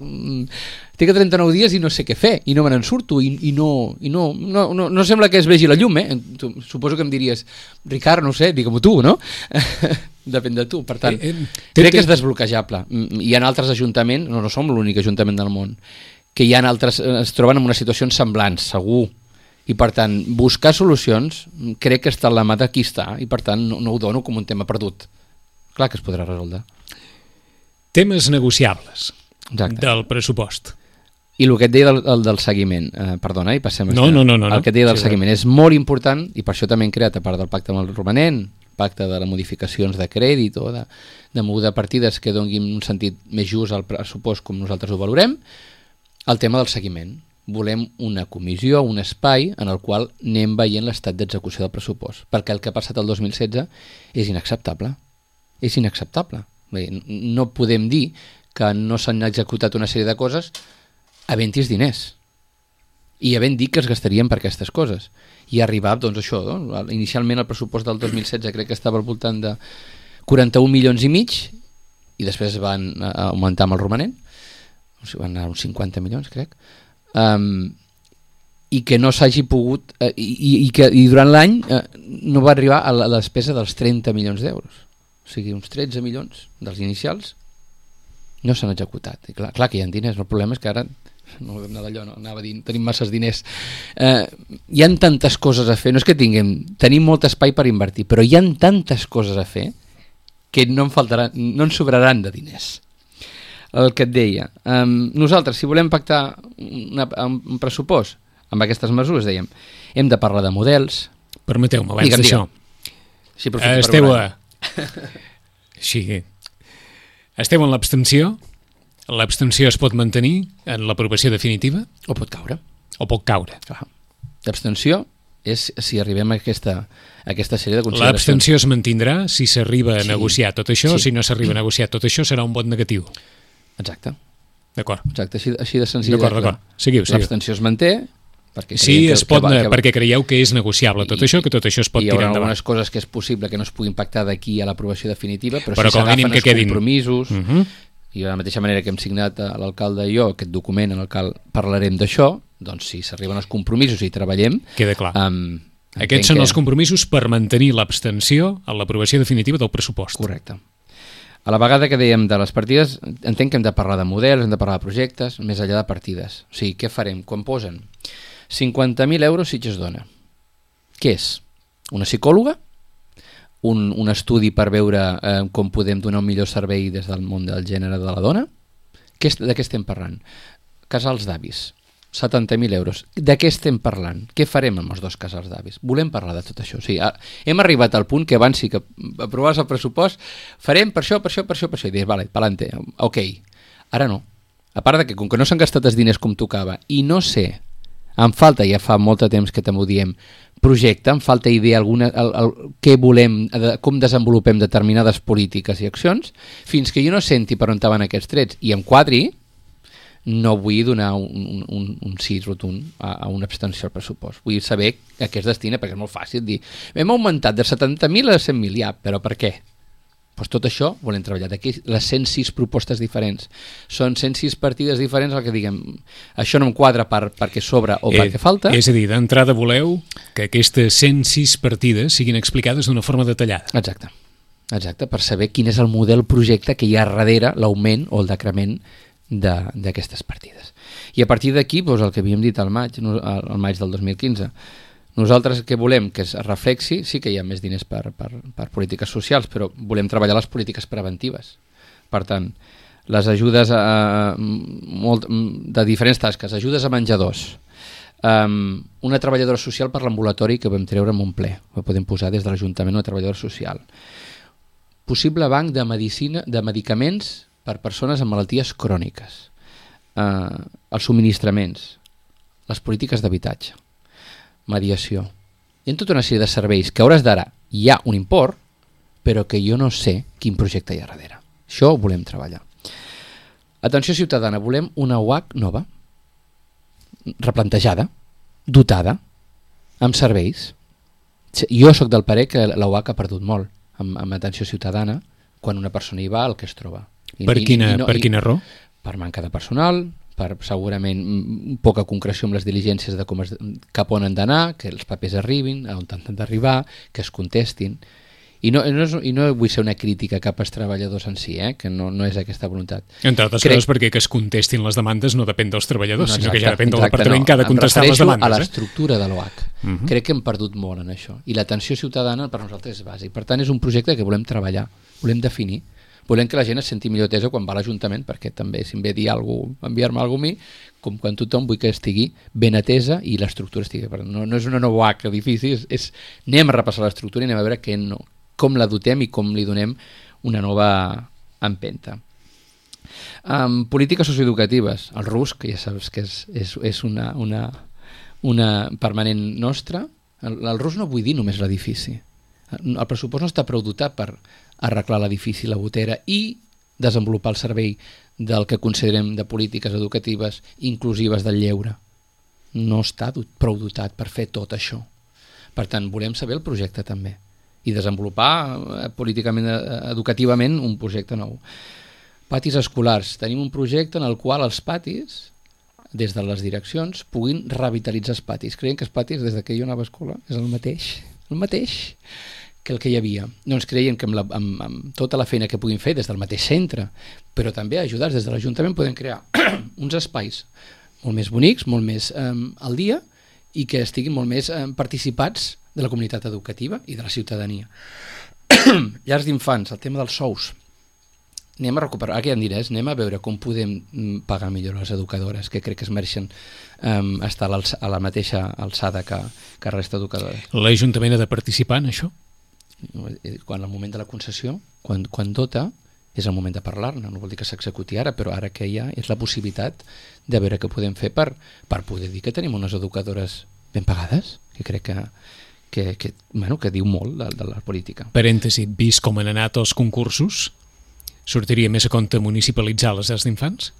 tinc trenta-nou dies i no sé què fer, i no me n'en surto, i, i, no, i no, no, no, no sembla que es vegi la llum, eh? Tu, suposo que em diries, Ricard, no sé, digue-m'ho tu, no? Depèn de tu, per tant, eh, eh, crec que és desbloquejable. Hi ha altres ajuntaments, no, no som l'únic ajuntament del món, que hi ha altres, es troben en una situació semblant, segur, i per tant, buscar solucions crec que està en la mà de qui està, i per tant no, no ho dono com un tema perdut. Clar que es podrà resoldre. Temes negociables. Exacte. Del pressupost. I el que et deia del, el del seguiment, eh, perdona, i passem a no, no, no, no, el que et deia del sí, seguiment és molt important, i per això també hem creat, a part del pacte amb el romanent, pacte de les modificacions de crèdit o de, de moguda de partides que donin un sentit més just al pressupost com nosaltres ho valorem, el tema del seguiment. Volem una comissió, un espai en el qual anem veient l'estat d'execució del pressupost, perquè el que ha passat el dos mil setze és inacceptable. És inacceptable. Bé, no podem dir que no s'han executat una sèrie de coses havent-hi diners i havent dit que es gastarien per aquestes coses. I arribar, doncs això, no? Inicialment el pressupost del dos mil setze crec que estava al voltant de quaranta-un milions i mig i després van augmentar amb el romanent, o sigui, van anar uns cinquanta milions, crec. Um, i que no s'hagi pogut uh, i, i que i durant l'any uh, no va arribar a la, a la despesa dels trenta milions d'euros, o sigui uns tretze milions dels inicials no s'han executat, i clar, clar que hi ha diners, el problema és que ara no, d'allò, no, anava dient, tenim masses diners, uh, hi ha tantes coses a fer, no és que tinguem tenim molt espai per invertir, però hi ha tantes coses a fer que no en faltaran, no en sobraran de diners. El que et deia, um, nosaltres si volem pactar una, un pressupost amb aquestes mesures, dèiem, hem de parlar de models. Permeteu-me, abans d'això, sí, esteu a... sí. Esteu en l'abstenció? L'abstenció es pot mantenir en l'aprovació definitiva? O pot caure. O pot caure. Clar. L'abstenció és si arribem a aquesta, a aquesta sèrie de consideracions. L'abstenció es mantindrà si s'arriba a sí. negociar tot això, sí. Si no s'arriba a negociar tot això serà un vot negatiu. Exacte. D'acord. Exacte, així, així de senzill. D'acord, d'acord. Seguiu, seguiu. L'abstenció es manté perquè sí, que, es pot, que, va, que, perquè creieu que és negociable tot I, això, que tot això es pot tirar endavant. Hi haurà algunes coses que és possible que no es puguin pactar d'aquí a l'aprovació definitiva, però, però si s'agafen els quedin... compromisos, uh -huh. i de la mateixa manera que hem signat a l'alcalde i jo aquest document en el qual parlarem d'això, doncs si s'arriben els compromisos i treballem... Queda clar. Um, Aquests són que... els compromisos per mantenir l'abstenció a l'aprovació definitiva del pressupost. Correcte. A la vegada que dèiem de les partides, entenc que hem de parlar de models, hem de parlar de projectes, més enllà de partides. O sigui, què farem? Quan posen cinquanta mil euros si es dona. Què és? Una psicòloga? Un, un estudi per veure eh, com podem donar un millor servei des del món del gènere de la dona? Què, de què estem parlant? Casals d'avis. setanta mil euros. De què estem parlant? Què farem amb els dos casals d'avis? Volem parlar de tot això. O sigui, hem arribat al punt que abans sí que aprovaves el pressupost, farem per això, per això, per això, per això. I dius, vale, pa'lante, ok. Ara no. A part de que, com que no s'han gastat els diners com tocava, i no sé, em falta, ja fa molt de temps que també ho diem, projecte, em falta idea alguna, el, el, què volem, com desenvolupem determinades polítiques i accions, fins que jo no senti per on van aquests trets i em quadri, no vull donar un, un, un sí rotund a, a una abstenció al pressupost. Vull saber a què es destina, perquè és molt fàcil dir hem augmentat de setanta mil a cent mil, ja, però per què? Pues tot això volem treballar. D'aquí les cent sis propostes diferents. Són cent sis partides diferents el que diguem, això no em quadra per, perquè sobra o eh, perquè falta. És a dir, d'entrada voleu que aquestes cent sis partides siguin explicades d'una forma detallada. Exacte. Exacte, per saber quin és el model projecte que hi ha darrere l'augment o el decrement d'aquestes partides. I a partir d'aquí, doncs, el que havíem dit al maig, al maig del dos mil quinze, nosaltres què volem? Que es reflexi, sí que hi ha més diners per, per, per polítiques socials, però volem treballar les polítiques preventives. Per tant, les ajudes a, molt, de diferents tasques, ajudes a menjadors, um, una treballadora social per l'ambulatori que vam treure en un ple, ho podem posar des de l'Ajuntament una treballadora social, possible banc de medicina, de medicaments per persones amb malalties cròniques, eh, els subministraments, les polítiques d'habitatge, mediació. Hi ha tota una sèrie de serveis que a hores d'ara hi ha un import, però que jo no sé quin projecte hi ha darrere. Això ho volem treballar. Atenció ciutadana, volem una U H nova, replantejada, dotada, amb serveis. Jo sóc del parer que la U H ha perdut molt amb, amb atenció ciutadana, quan una persona hi va, el que es troba. I, per i, quina, i no, per quina raó? Per manca de personal, per segurament poca concreció amb les diligències de com es, cap on han d'anar, que els papers arribin, on han d'arribar, que es contestin. I no, no és, i no vull ser una crítica cap als treballadors en si, eh? Que no, no és aquesta voluntat. Entre altres Crec... coses perquè que es contestin les demandes no depèn dels treballadors, no, exacte, sinó que ja depèn del exacte, departament no. que ha de contestar les demandes. A l'estructura eh? de l'O H. Uh -huh. Crec que hem perdut molt en això. I l'atenció ciutadana per nosaltres és bàsic. Per tant, és un projecte que volem treballar, volem definir, volem que la gent es senti millor atesa quan va a l'Ajuntament, perquè també si em ve dir alguna cosa, enviar-me alguna cosa a mi, com quan tothom vull que estigui ben atesa i l'estructura estigui. No, no és una nova O H edifici, és, és anem a repassar l'estructura i anem a veure què no, com la dotem i com li donem una nova empenta. Um, polítiques socioeducatives. El R U S, que ja saps que és, és, és una, una, una permanent nostra. El, el R U S no vull dir només l'edifici. El pressupost no està prou dotat per arreglar l'edifici, la botera i desenvolupar el servei del que considerem de polítiques educatives inclusives del lleure. No està prou dotat per fer tot això. Per tant, volem saber el projecte també i desenvolupar políticament, educativament, un projecte nou. Patis escolars. Tenim un projecte en el qual els patis, des de les direccions, puguin revitalitzar els patis. Creiem que els patis, des que jo anava a escola, és el mateix, el mateix que el que hi havia. Doncs creiem que amb, la, amb, amb tota la feina que puguin fer des del mateix centre, però també ajudats des de l'Ajuntament, podem crear uns espais molt més bonics, molt més eh, al dia i que estiguin molt més eh, participats de la comunitat educativa i de la ciutadania. Llars d'infants, el tema dels sous. Anem a recuperar, ara que hi ha diners, anem a veure com podem pagar millor les educadores, que crec que es mereixen um, estar a la mateixa alçada que, que resta d'educadores. L'Ajuntament ha de participar en això? Quan el moment de la concessió, quan, quan dota, és el moment de parlar-ne, no vol dir que s'executi ara, però ara que hi ha és la possibilitat de veure què podem fer per, per poder dir que tenim unes educadores ben pagades, que crec que Que, que, bueno, que diu molt de, de la política. Parèntesi, vist com han anat els concursos, sortiria més a compte municipalitzar les llars d'infants?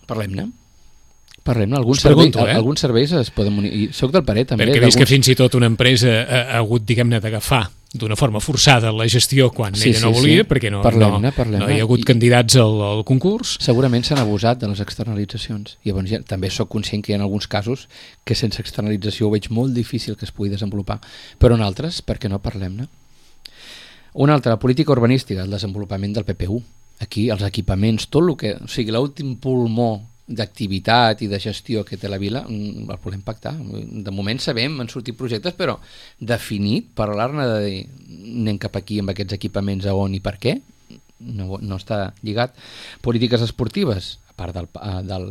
Parlem-ne. Parlem-ne. Alguns, pregunto, serveis, eh? alguns serveis es poden... I soc del parer, també. Perquè vist que fins i tot una empresa ha, ha hagut, diguem-ne, d'agafar d'una forma forçada la gestió quan sí, ella no sí, volia, sí. perquè no, parlem-ne, no, parlem-ne. no hi ha hagut I, candidats al, al concurs. Segurament s'han abusat de les externalitzacions. I llavors ja, també sóc conscient que hi ha alguns casos que sense externalització ho veig molt difícil que es pugui desenvolupar. Però en altres, per què no parlem-ne? Una altra, política urbanística, el desenvolupament del P P U. Aquí els equipaments, tot el que... O sigui, l'últim pulmó d'activitat i de gestió que té la vila el volem pactar. De moment sabem, han sortit projectes, però definit, parlar-ne de dir anem cap aquí amb aquests equipaments a on i per què, no, no està lligat. Polítiques esportives, a part del, del,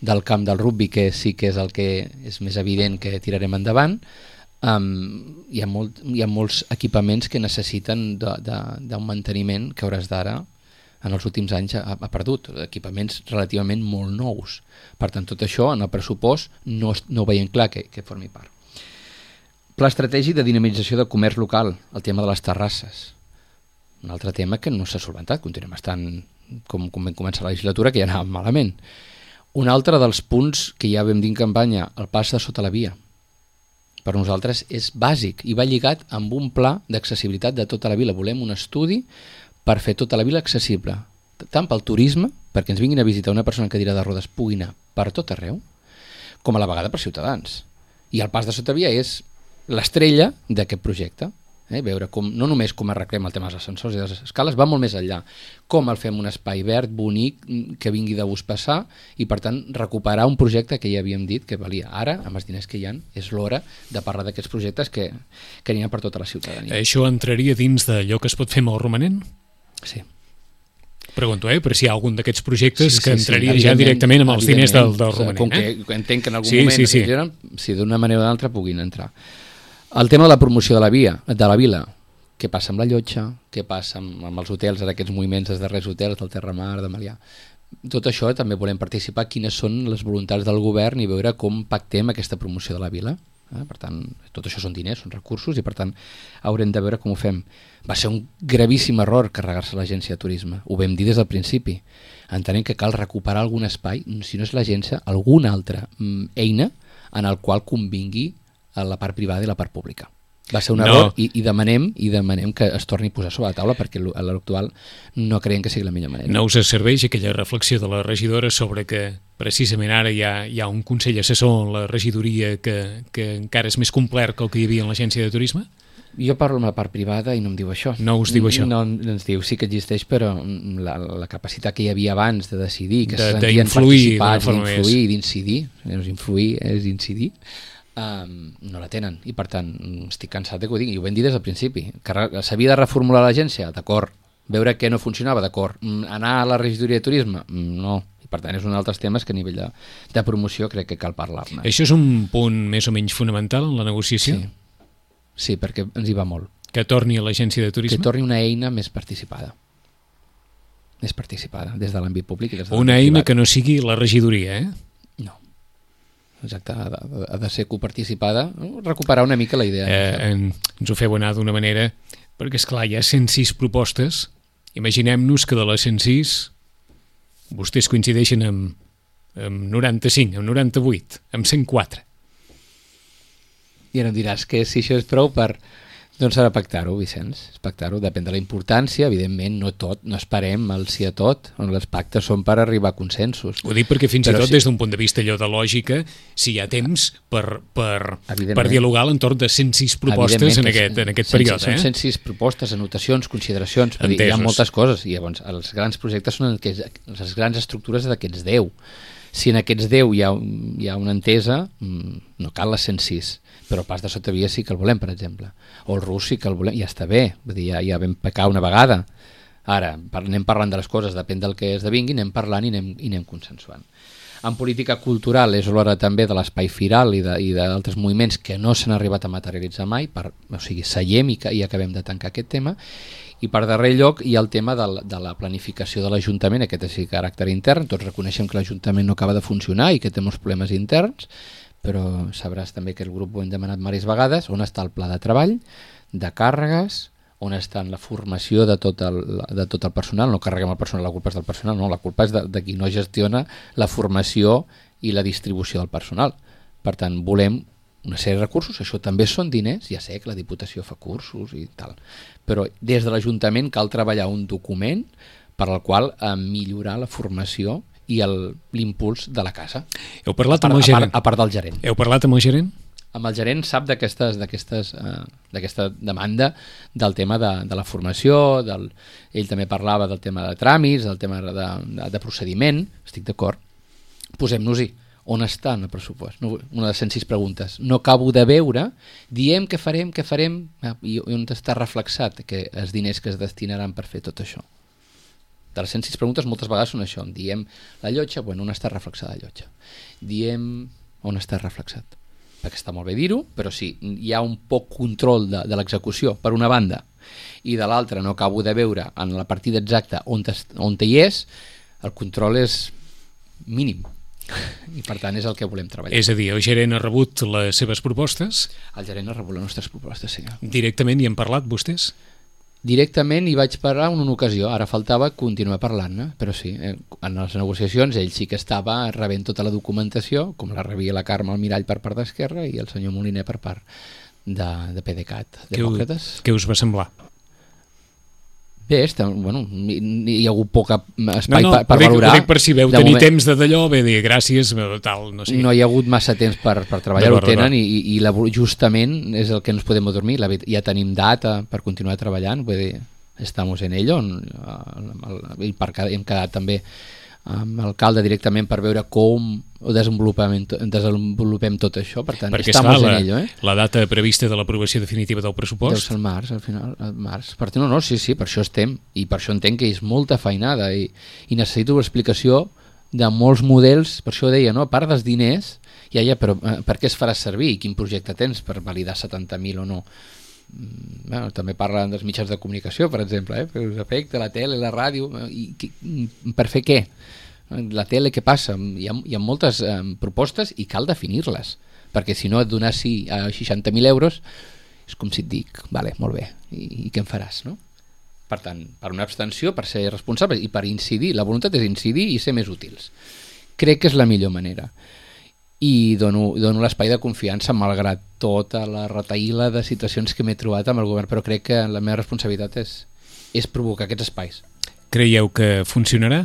del camp del rugby, que sí que és el que és més evident que tirarem endavant, um, hi, ha molt, hi ha molts equipaments que necessiten d'un manteniment que hauràs d'ara en els últims anys ha, ha perdut, equipaments relativament molt nous. Per tant, tot això en el pressupost no, no ho veiem clar que, que formi part. Pla estratègic de dinamització del comerç local, el tema de les terrasses. Un altre tema que no s'ha solventat, continuem estant com, com vam començar la legislatura, que ja anava malament. Un altre dels punts que ja vam dir en campanya, el pas de sota la via. Per nosaltres és bàsic i va lligat amb un pla d'accessibilitat de tota la vila. Volem un estudi per fer tota la vila accessible, tant pel turisme, perquè ens vinguin a visitar una persona en cadira de rodes pugui anar per tot arreu, com a la vegada per ciutadans. I el pas de sota via és l'estrella d'aquest projecte. Eh? Veure com, no només com arreglem el tema dels ascensors i de les escales, va molt més enllà. Com el fem un espai verd, bonic, que vingui de gust passar, i per tant recuperar un projecte que ja havíem dit que valia. Ara, amb els diners que hi ha, és l'hora de parlar d'aquests projectes que, que n'hi ha per tota la ciutadania. Això entraria dins d'allò que es pot fer amb el romanent? Sí. Pregunto, eh, per si hi ha algun d'aquests projectes sí, sí, que entraria sí, ja directament amb els diners del, del romanent. Com eh? que entenc que en algun sí, moment sí, sí. Eren, si d'una manera o d'altra puguin entrar. El tema de la promoció de la via, de la vila, què passa amb la llotja, què passa amb, amb els hotels, ara aquests moviments dels darrers hotels, del Terramar, de Malià. Tot això també volem participar, quines són les voluntats del govern i veure com pactem aquesta promoció de la vila. Eh? Per tant, tot això són diners, són recursos i per tant haurem de veure com ho fem. Va ser un gravíssim error carregar-se l'agència de turisme, ho vam dir des del principi. Entenem que cal recuperar algun espai, si no és l'agència, alguna altra mm, eina en el qual convingui a la part privada i la part pública. Va ser un No. error i, i demanem i demanem que es torni a posar sobre la taula perquè a l'hora actual no creiem que sigui la millor manera. No us serveix aquella reflexió de la regidora sobre que precisament ara hi ha, hi ha un consell assessor en la regidoria que, que encara és més complet que el que hi havia en l'agència de turisme? Jo parlo amb la part privada i no em diu això. No us diu això? No, ens diu sí que existeix, però la, la capacitat que hi havia abans de decidir, que De- se sentien d'influir d'una participats, forma d'influir, més. d'incidir, no és influir, és incidir, um, no la tenen. I per tant, estic cansat de que ho digui. I ho vam dir des del principi. Que re- s'havia de reformular l'agència? D'acord. Veure què no funcionava? D'acord. Mm, Anar a la regidoria de turisme? Mm, No. I per tant, és un altres temes que a nivell de, de promoció crec que cal parlar-ne. Això és un punt més o menys fonamental en la negociació? Sí. Sí, perquè ens hi va molt. Que torni a l'agència de Que turisme? torni una eina més participada. Més participada, des de l'àmbit públic i des de Una l'àmbit eina privat. que no sigui la regidoria, eh? No. Exacte, ha de, ha de ser coparticipada, recuperar una mica la idea. eh en, ens ho feu anar d'una manera, perquè és clar, hi ha cent sis propostes. Imaginem-nos que de les cent sis vostès coincideixen amb, amb noranta-cinc, amb noranta-vuit, amb cent quatre. I ara em diràs que si això és prou per... Doncs s'ha de pactar-ho, Vicenç, pactar-ho, depèn de la importància, evidentment, no tot, no esperem el sí a tot, on les pactes són per arribar a consensos. Ho dic perquè fins Però i tot sí. des d'un punt de vista allò de lògica, si hi ha temps per, per, Evidentment. per dialogar a l'entorn de cent sis propostes en Evidentment que aquest, en aquest cent- període. Són Eh? cent sis propostes, anotacions, consideracions, vull dir, hi ha Entesos. moltes coses, i llavors els grans projectes són aquests, les grans estructures d'aquests deu. Si en aquests deu hi ha, hi ha una entesa, mm, no cal les cent sis, però el pas de sota via sí que el volem, per exemple. O el rus sí que el volem, ja està bé, vull dir, ja, ja vam pecar una vegada. Ara, par- anem parlant de les coses, depèn del que esdevingui, anem parlant i anem, i anem consensuant. En política cultural és l'hora també de l'espai firal i de- i d'altres moviments que no s'han arribat a materialitzar mai, per, o sigui, seiem i, que- i acabem de tancar aquest tema. I per darrer lloc hi ha el tema de la, de la planificació de l'Ajuntament, aquest és de caràcter intern, tots reconeixem que l'Ajuntament no acaba de funcionar i que té molts problemes interns, però sabràs també que el grup ho hem demanat diverses vegades, on està el pla de treball, de càrregues, on està la formació de tot el, de tot el personal, no carreguem el personal, la culpa és del personal, no, la culpa és de, de qui no gestiona la formació i la distribució del personal. Per tant, volem una sèrie de recursos, això també són diners, ja sé que la Diputació fa cursos i tal, però des de l'Ajuntament cal treballar un document per al qual eh, millorar la formació i el- l'impuls de la casa, Heu a parlat part, amb el a, gerent? part, a part del gerent. Heu parlat amb el gerent? Amb el gerent sap d'aquestes d'aquestes eh, d'aquesta demanda del tema de, de la formació, del, ell també parlava del tema de tràmits, del tema de, de, de procediment, estic d'acord, posem-nos-hi. On està en el pressupost? No, una de les cent sis preguntes. No acabo de veure, diem que farem, que farem, ah, i on està reflexat que els diners que es destinaran per fer tot això? De les cent sis preguntes moltes vegades són això. Diem la llotja, bueno, on està reflexada la llotja? Diem on està reflexat? Perquè està molt bé dir-ho, però sí, hi ha un poc control de, de l'execució, per una banda, i de l'altra no acabo de veure en la partida exacta on, on hi és, el control és mínim. I per tant és el que volem treballar. És a dir, el gerent ha rebut les seves propostes? El gerent ha rebut les nostres propostes, sí. Directament hi han parlat vostès? Directament hi vaig parlar en una ocasió, ara faltava continuar parlant-ne, però sí, eh, en les negociacions ell sí que estava rebent tota la documentació, com la rebia la Carme Almirall per part d'Esquerra i el senyor Moliner per part de, de PDeCAT, Demòcrates. Què us va semblar? Bé, està, bueno, hi, hi ha hagut poc espai no, no, per, per ho dic, valorar. Ho dic per si veu De tenir moment, temps de d'allò, bé dir gràcies, tal, no sé. no hi ha hagut massa temps per, per treballar, ho D'acord, tenen d'acord. i, i la, justament és el que ens podem dormir, la, veri- ja tenim data per continuar treballant, vull dir, estamos en ello, en, el, i per, hem quedat també amb l'alcalde directament per veure com desenvolupem, desenvolupem tot això, per tant, Perquè estamos esclar, en ello. Eh? la, la data prevista de l'aprovació definitiva del Deu pressupost ser el març, al final, el març. Per tant, no, no, sí, sí, per això estem, i per això entenc que és molta feinada, i, i necessito una explicació de molts models, per això deia, no? A part dels diners, ja, ja, però eh, per què es farà servir i quin projecte tens per validar setanta mil o no? Mm, bueno, també parlen dels mitjans de comunicació, per exemple, eh? Per us afecta la tele, la ràdio, eh, i, i, per fer què? La tele, què passa? Hi ha, hi ha moltes eh, propostes i cal definir-les, perquè si no et donar sí a seixanta mil euros és com si et dic, vale, molt bé, i, i què en faràs, no? Per tant, per una abstenció, per ser responsable i per incidir, la voluntat és incidir i ser més útils. Crec que és la millor manera. i dono, dono l'espai de confiança malgrat tota la retaïla de situacions que m'he trobat amb el govern, però crec que la meva responsabilitat és, és provocar aquests espais. Creieu que funcionarà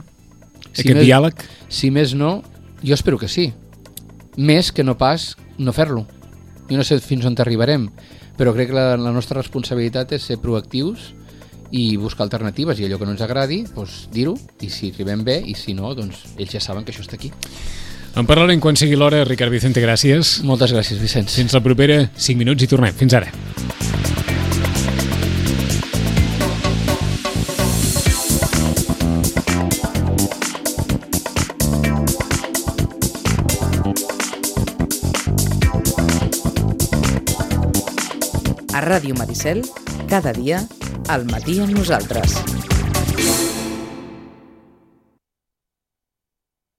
Si aquest més, diàleg? Si més no, jo espero que sí. Més que no pas no fer-lo. Jo no sé fins on arribarem, però crec que la, la nostra responsabilitat és ser proactius i buscar alternatives, i allò que no ens agradi, doncs dir-ho, i si arribem bé, i si no, doncs ells ja saben que això està aquí. En parlarem quan sigui l'hora. Ricard Vicente, gràcies. Moltes gràcies, Vicenç. Fins la propera cinc minuts i tornem. Fins ara. A Ràdio Maricel, cada dia, al matí amb nosaltres.